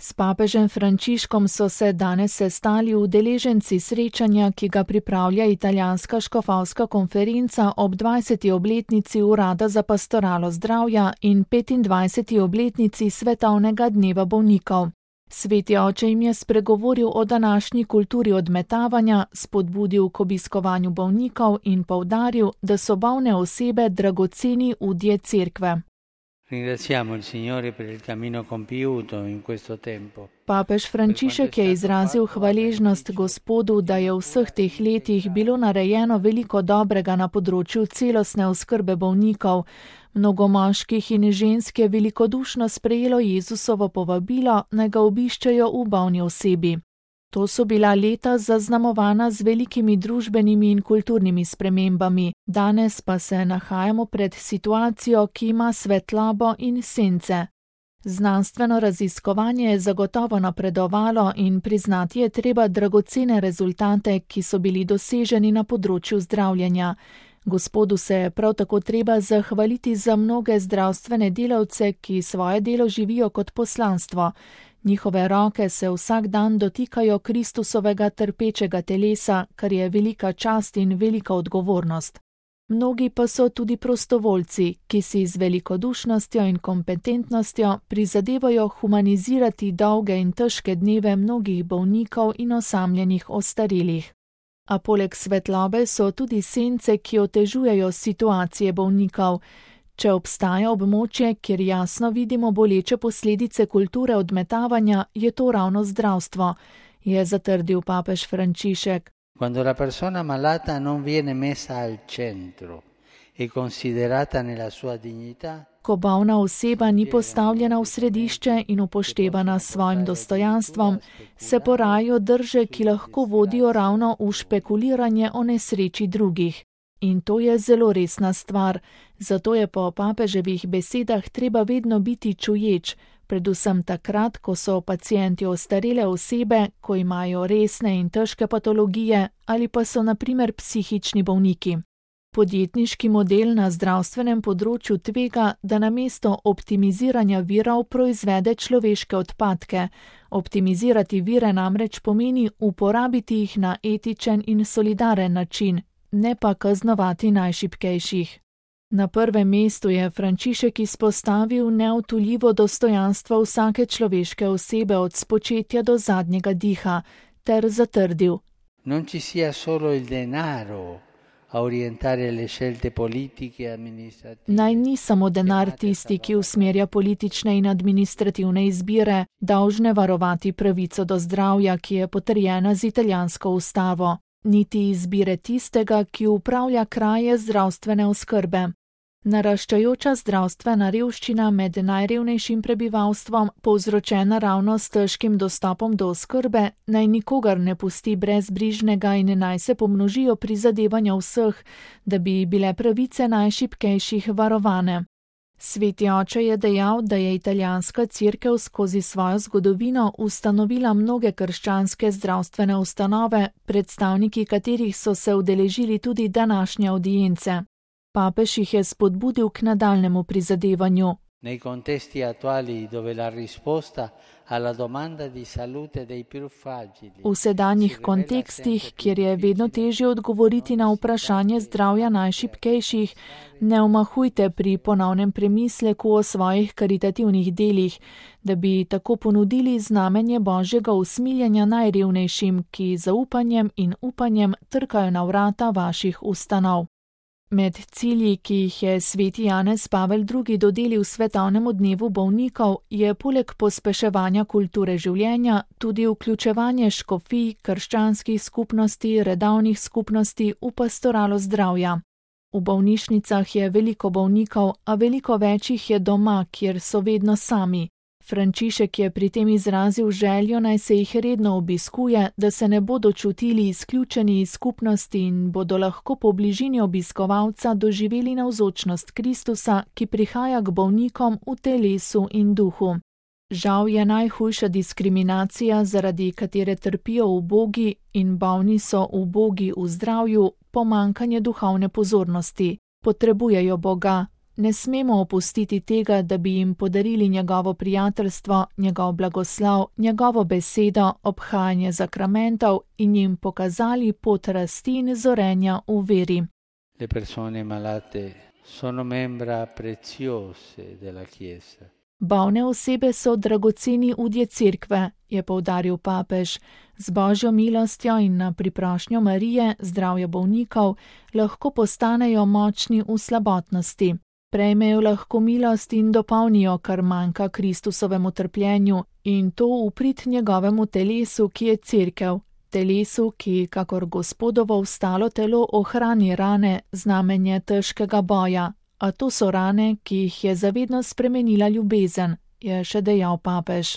S papežem Frančiškom so se danes sestali udeleženci srečanja, ki ga pripravlja italijanska škofovska konferenca ob 20. obletnici Urada za pastoralo zdravja in 25. obletnici Svetovnega dneva bolnikov. Sveti oče jim je spregovoril o današnji kulturi odmetavanja, spodbudil k obiskovanju bolnikov in poudaril, da so bolne osebe dragoceni udje cerkve. Ringraziamo il Signore per il cammino compiuto in questo tempo. Papež Frančišek je izrazil hvaležnost Gospodu, da je v vseh teh letih bilo narejeno veliko dobrega na področju celostne oskrbe bolnikov. Mnogo moških in žensk je velikodušno sprejelo Jezusovo povabilo, naj ga obiščejo v bolni osebi. To so bila leta zaznamovana z velikimi družbenimi in kulturnimi spremembami, danes pa se nahajamo pred situacijo, ki ima svetlobo in sence. Znanstveno raziskovanje je zagotovo napredovalo in priznati je treba dragocene rezultate, ki so bili doseženi na področju zdravljenja. Gospodu se je prav tako treba zahvaliti za mnoge zdravstvene delavce, ki svoje delo živijo kot poslanstvo. Njihove roke se vsak dan dotikajo Kristusovega trpečega telesa, kar je velika čast in velika odgovornost. Mnogi pa so tudi prostovoljci, ki si z velikodušnostjo in kompetentnostjo prizadevajo humanizirati dolge in težke dneve mnogih bolnikov in osamljenih ostarelih. A poleg svetlobe so tudi sence, ki otežujejo situacije bolnikov. Če obstaja območje, kjer jasno vidimo boleče posledice kulture odmetavanja, je to ravno zdravstvo, je zatrdil papež Frančišek. Quando la persona malata non viene messa al centro e considerata nella sua dignità, ko bolna oseba ni postavljena v središče in upoštevana s svojim dostojanstvom, se porajajo drže, ki lahko vodijo ravno v špekuliranje o nesreči drugih. In to je zelo resna stvar, zato je po papeževih besedah treba vedno biti čuječ, predvsem takrat, ko so pacienti ostarele osebe, ko imajo resne in težke patologije ali pa so na primer psihični bolniki. Podjetniški model na zdravstvenem področju tvega, da namesto optimiziranja virov proizvede človeške odpadke. Optimizirati vire namreč pomeni uporabiti jih na etičen in solidaren način, ne pa kaznovati najšibkejših. Na prvem mestu je Frančišek izpostavil neodtujljivo dostojanstvo vsake človeške osebe od spočetja do zadnjega diha, ter zatrdil: Non ci sia solo il denaro a orientare le scelte politiche e amministrative. Naj ni samo denar tisti, ki usmerja politične in administrativne izbire, dolžne varovati pravico do zdravja, ki je potrjena z italijansko ustavo, niti izbire tistega, ki upravlja kraje zdravstvene oskrbe. Naraščajoča zdravstvena revščina med najrevnejšim prebivalstvom, povzročena ravno s težkim dostopom do oskrbe, naj nikogar ne pusti brezbrižnega in naj se pomnožijo prizadevanja vseh, da bi bile pravice najšibkejših varovane. Sveti oče je dejal, da je italijanska cerkev skozi svojo zgodovino ustanovila mnoge krščanske zdravstvene ustanove, predstavniki katerih so se udeležili tudi današnje audience. Papež jih je spodbudil k nadaljnemu prizadevanju. Nei contesti attuali dove la risposta alla domanda di salute dei più fragili. V sedanjih kontekstih, kjer je vedno težje odgovoriti na vprašanje zdravja najšibkejših, ne omahujte pri ponovnem premisleku o svojih karitativnih delih, da bi tako ponudili znamenje Božjega usmiljenja najrevnejšim, ki zaupanjem in upanjem trkajo na vrata vaših ustanov. Med cilji, ki jih je sveti Janez Pavel II. Dodelil Svetovnemu dnevu bolnikov, je poleg pospeševanja kulture življenja tudi vključevanje škofij, krščanskih skupnosti, redovnih skupnosti v pastoralo zdravja. V bolnišnicah je veliko bolnikov, a veliko več jih je doma, kjer so vedno sami. Frančišek je pri tem izrazil željo, naj se jih redno obiskuje, da se ne bodo čutili izključeni iz skupnosti in bodo lahko po bližini obiskovalca doživeli navzočnost Kristusa, ki prihaja k bolnikom v telesu in duhu. Žal je najhujša diskriminacija, zaradi katere trpijo ubogi in bolni so ubogi v zdravju, pomanjkanje duhovne pozornosti. Potrebujejo Boga, Ne smemo opustiti tega, da bi jim podarili njegovo prijateljstvo, njegov blagoslov, njegovo besedo, obhajanje zakramentov in jim pokazali pot rasti in zorenja v veri. Le persone malate sono membra preziose della Chiesa. Bolne osebe so dragoceni udje cerkve, je poudaril papež. Z Božjo milostjo in na priprošnjo Marije, zdravja bolnikov, lahko postanejo močni v slabotnosti. Prejmejo lahko milost in dopolnijo, kar manjka Kristusovemu trpljenju, in to v prid njegovemu telesu, ki je cerkev. Telesu, ki, kakor Gospodovo vstalo telo, ohrani rane, znamenje težkega boja. A to so rane, ki jih je zavedno spremenila ljubezen, je še dejal papež.